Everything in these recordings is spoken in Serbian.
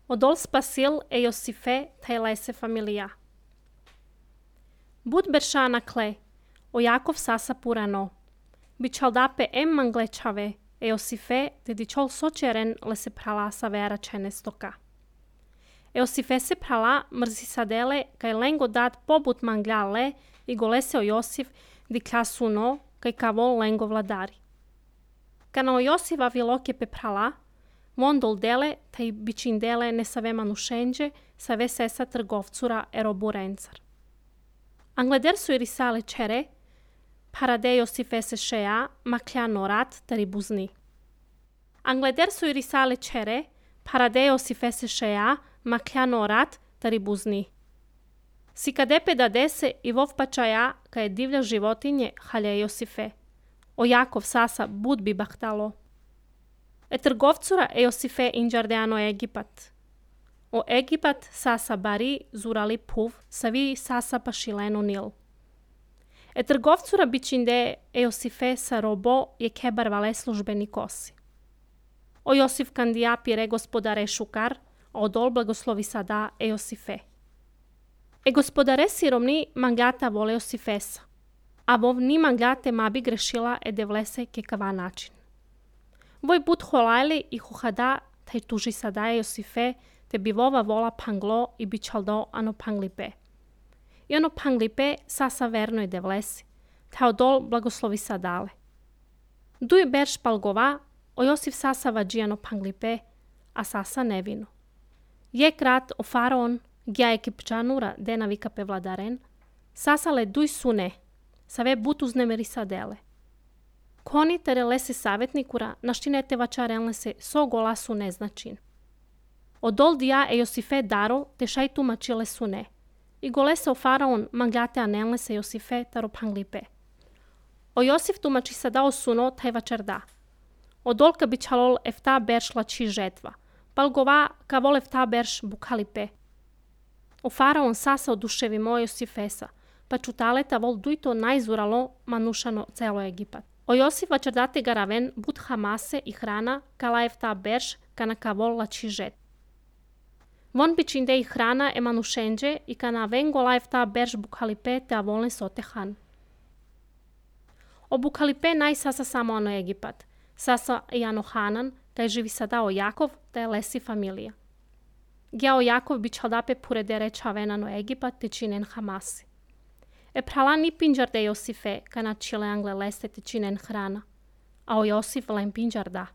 Odol spasil e Iosife tai lese familia. Bud bershana kle, o Jakov sasa purano. Bichaldape manglechave e Iosife dedicol socieren lese prala savera cenestoka. Iosife se prala mrzisadele kai lengo dat pobut manglale i golese o Iosif di klasuno kai kavol lengo vladari. Kana o Iosiva viloke pe prala, Vondol dele, taj bičindele ne save manušenđe, save sesa trgovcura eroburencar. Angleder su irisale čere, parade Iosife se šeja, makljano rat tari buzni. Angleder su irisale čere, parade Iosife se šeja, makljano rat tari buzni. Sikadepe dadese i vov pačaja, ka je divlja životinje halje Iosife. O Jakov sasa bud bi bahtalo. E trgovcura Iosife inđardeano Egipat. O Egipat sasa bari zurali puv, savi sasa pašileno nil. E trgovcura bičinde Iosife sa robo je kebar vale službeni kosi. O Iosif kandija pire gospodare šukar, a odol blagoslovi sada Iosife. E gospodare siromni manglata vole Iosifesa, a vov ni manglate mabi grešila e devlese ke kava način. Voj bud holajli i huhada taj tuži sada Iosife, te bi vova vola panglo i bičaldo ano panglipe. I ano panglipe sasa verno je devlesi, ta odol blagoslovi sadale. Duj berš palgova, o Iosif sasa vađijano panglipe, a sasa nevino. Je krat o faraon, gja ekipčanura dena vikape vladaren, sasa le duj sune, save but uznemeri sadele. Koni tere lese savjetnikura, naštinete vačarelne se so golasu neznačin. Odol dija Iosife daro, te šaj tumačile sune. I golese o faraon manglate anelne se Iosife taro panglipe. O Iosif tumači sada o suno taj vačar da. Odol ka bičalol efta berš lači žetva, palgova ka vol efta berš bukalipe. O faraon sasa oduševi moj Iosifesa, pa čutaleta vol dujto najzuralo manušano celo Egipat. O Iosif vačardate garaven bud hamase i hrana kala efta berš kana ka vol lači žet. Von bičinde i hrana e manušenđe i kana vengo la efta berš bukalipe te avolne sote han. O bukalipe naj sasa samo ano Egipat, sasa i ano Hanan, taj živi sada o Jakov, taj lesi familija. Gja o Jakov bičaldape puredere čavenano Egipat te činen hamasi. E prala ni pinđarde Iosife, kana čile angle leste te činen hrana, a o Iosif len pinđarda.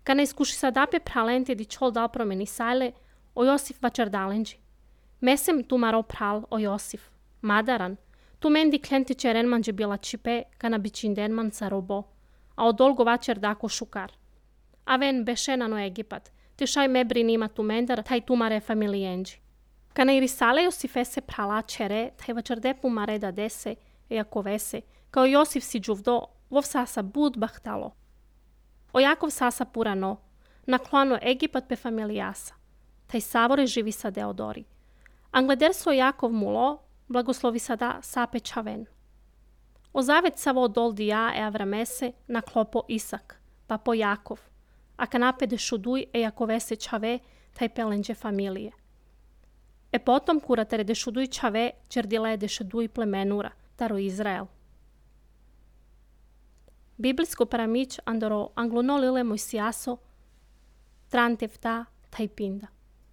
Kana iskuši sadape pralente di čol dal promeni sajle, o Iosif vačardalenđi. Mesem tu maro pral o Iosif, madaran, tu mendi klenti čeren manđe bila čipe, kana bičinden man sa robo, a o dolgo vačardako šukar. A ven bešenano Egipat, te šaj mebri nima tu mendar, taj tu mare familijenđi. Kana irisale Iosife se prala čere, taj vačardepu mare da dese, jako vese, kao Iosif si džuvdo, vov sasa bud bahtalo. O Jakov sasa purano, naklano Egipat pe familijasa, taj savore živi sa Deodori. Angleder so Jakov mulo, blagoslovi sada sape čaven. O zavet savo dol dija e Avramese na klopo Isak, pa po Jakov, a kanape de šuduj e Jakovese čave, taj pelenđe familije. E potom kuratere de šuduj čave, čerdile de šuduj plemenura, taro Izrael. Biblijsko paramić andoro anglunolile Mojsijaso, trantevta taj pinda.